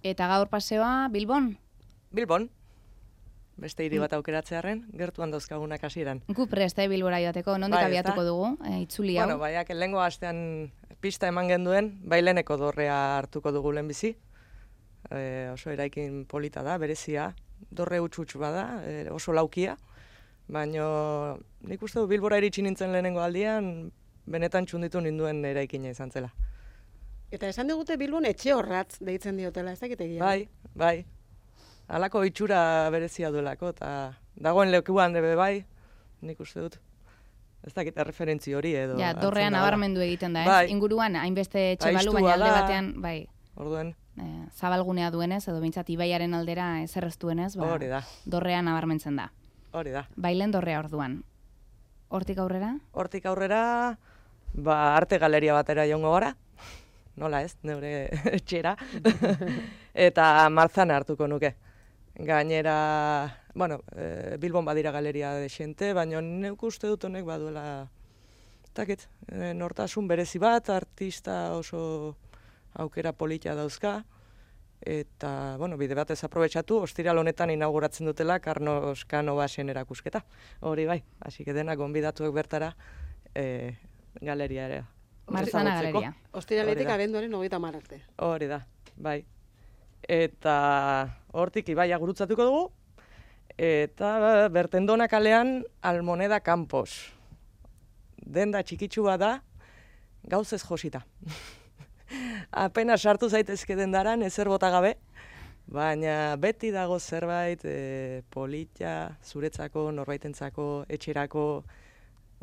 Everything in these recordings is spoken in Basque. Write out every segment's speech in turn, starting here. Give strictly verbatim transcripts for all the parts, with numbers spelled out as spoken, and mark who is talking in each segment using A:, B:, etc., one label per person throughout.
A: Eta gaur paseoa Bilbon?
B: Bilbon. Beste hiri bat aukeratzearen, gertuan dauzkagunak hasieran.
A: Gu prest, eh, Bilbora joateko, nondik
B: Bai,
A: abiatuko
B: ezta?
A: dugu, e, itzuli hau?
B: Bueno, baiak, lehengo astean pista eman genduen, baileneko dorrea hartuko dugu lehenbizi. E, oso eraikin polita da, berezia, dorre utxutxu bada, e, oso laukia. Baina nik uste du Bilbora iritsi nintzen lehenengo aldian, benetan txunditu ninduen eraikina izan zela.
C: Eta esan digute Bilbon etxe horratz deitzen diotela, ez dakit egia.
B: Bai, bai. Halako itxura berezia duelako, eta dagoen lekuan debe bai, nik uste dut. Ez dakit referentzi hori edo.
A: Ja, dorrean nabarmendu egiten da, ez?
B: Bai.
A: Inguruan, hainbeste etxe balu,
B: Aiztua
A: baina alde
B: da.
A: batean, bai,
B: Orduen,
A: e, zabalgunea duenez, edo behintzat ibaiaren aldera ezer ez duenez, ba,
B: hori da,
A: dorrean nabarmentzen da.
B: hori da.
A: Bailen dorrea orduan. Hortik aurrera?
B: Hortik aurrera, ba, arte galeria batera joango gara, nola ez, neure etxera, eta Marzana hartuko nuke. Gainera, bueno, e, Bilbon badira galeria desente, baina neuk uste dut honek baduela, takit, e, nortasun berezi bat, artista oso aukera polita dauzka, eta, bueno, bide batez aprobetxatu, ostiral honetan inauguratzen dutela Carlos Canovasen erakusketa. Hori bai, hasi que denak gonbidatuek bertara e, galeria ere.
A: Marzana galeria.
C: Ostiraletik
B: Hori da.
C: abenduaren hogeita hamar arte.
B: Hori da, bai. Eta hortik ibaia gurutzatuko dugu, eta Bertendona kalean Almoneda Campos. Denda txikitsua da, gauzez josita. Apenas sartu zaitezke dendaran, ezer bota gabe, baina beti dago zerbait e, polita, zuretzako, norbaitentzako, etxerako,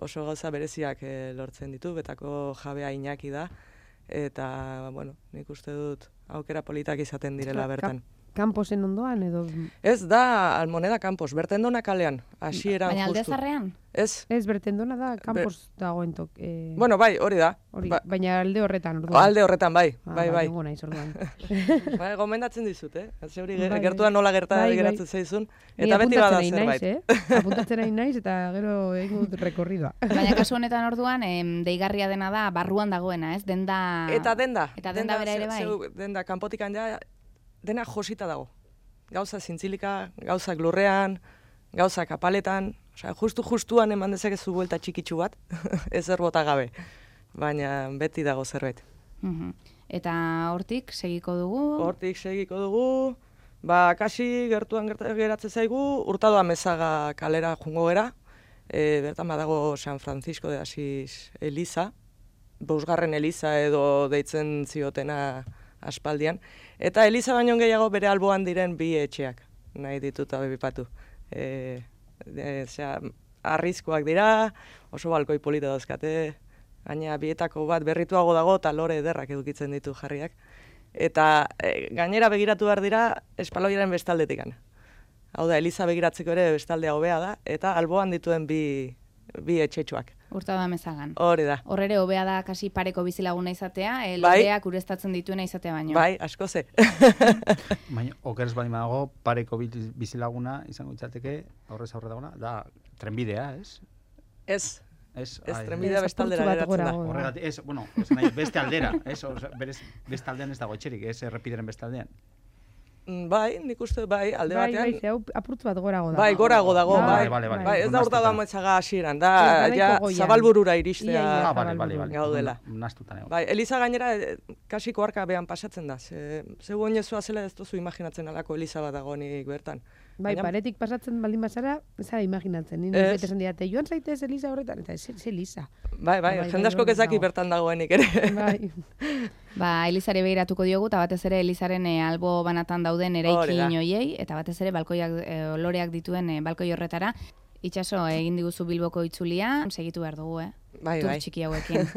B: oso gauza bereziak e, lortzen ditu, betako jabea Iñaki da, eta, bueno, nik uste dut aukera politak izaten direla bertan.
D: Kamposen ondoan edo...
B: Ez da Almoneda Campos, Bertendona kalean, hasieran
A: Baina alde
B: justu.
A: zarrean?
B: Ez,
D: Ez, Bertendona da, Campos dagoen tok. Eh,
B: bueno, bai, hori da.
D: hori,
B: Ba,
D: baina alde horretan, orduan.
B: alde horretan, bai,
D: Ah,
B: bai, bai.
D: nengo naiz, orduan.
B: Bai, gomendatzen dizut, eh? Zeuri
D: Bai, bai.
B: gertuan nola gerta
D: Bai, bai.
B: geratzen zaizun,
D: Ni
B: eta beti bada
D: apuntatzen nahi
B: zerbait.
D: naiz, eh? Apuntatzen nahi naiz, eta gero egingo dut rekorridoa.
A: Baina kasu honetan orduan, em, deigarria dena da barruan dagoena, ez? Denda...
B: Eta denda.
A: Eta denda bera ere bai?
B: zeu- denda kanpotikan ja, dena josita dago. Gauza zintzilika, gauzak lurrean, gauzak apaletan, osea, justu-justuan eman dezakezu buelta txikitsu bat, ezer bota gabe. Baina beti dago zerbait.
A: Mhm. Eta hortik segiko dugu?
B: Hortik segiko dugu, ba, kasi gertuan gerta- geratzen zaigu, Hurtado Amezaga kalera jungo gera, e, bertan badago San Francisco de Asís Eliza, bosgarren Eliza edo deitzen ziotena aspaldian, eta Eliza baino gehiago bere alboan diren bi etxeak, nahi ditut abipatu. E, e, zera, arrizkoak dira, oso balkoi polita dauzkate, gaina bietako bat berrituago dago eta lore ederrak edukitzen ditu jarriak. Eta e, gainera begiratu behar dira espaloiaren bestaldetikan. Hau da, Eliza begiratzeko ere bestaldea hobea da, eta alboan dituen bi, bi etxetxoak.
A: Hurtado Amezagan.
B: Hori da.
A: Hor ere hobea da kasi pareko bizilaguna izatea, e,
B: Bai.
A: loreak ureztatzen dituena izatea baino.
B: Bai, asko ze.
E: Baina, okerez bali dago, pareko bil- bizilaguna izango itzateke, aurrez aurre dagoena, da trenbidea, ez?
B: Ez,
E: Ez,
B: ez
E: ai,
B: trenbidea
D: Ez,
B: bestaldera
D: apurtxo bat
B: geratzen da.
D: gorago.
E: Horregatik, ez, bueno, ez nahi, beste aldera, ez, oza, berez, beste aldean ez dago etxerik, ez errepideren beste aldean.
B: Mm, Bai, nik uste bai, alde
D: Bai,
B: batean.
D: bai, ze hau apurtzu bat gorago da.
B: Bai, gorago dago,
D: Ah,
B: bai.
E: bale, bale.
B: Bai, ez da
E: Onartuta.
B: Hurtado Amezaga hasieran, da,
D: Ez, garaiko
B: ja,
D: goian.
B: zabalburura
D: Ia,
B: iristea.
D: ia.
E: Ah, bale, bale, bale.
B: Gaudela.
E: Nastuta nago.
B: Bai, Eliza gainera eh, kasiko arkabean pasatzen da. Ze, zeu oinezua zela ez duzu imaginatzen alako Eliza bat dagoenik bertan.
D: Bai,
B: Baina-
D: paretik pasatzen baldin bazara, ez zara imaginatzen. Ni
B: Ez.
D: ez esan didate, joan zaitez Eliza horretan, eta ez ez Eliza.
B: Bai, bai,
D: Bai, bai,
B: jende asko
D: hor
B: kezaki
D: dago.
B: bertan dagoenik ere.
D: Bai.
A: Ba, Elizari begiratuko diogu, eta batez ere Elizaren e, albo banatan dauden
B: Hori da.
A: eraikin hoiei, eta batez ere balkoiak, e, loreak dituen e, balkoi horretara. Itxaso, egin diguzu Bilboko itzulia, segitu behar dugu, eh?
B: Bai,
A: Tur
B: bai.
A: txiki hauekin.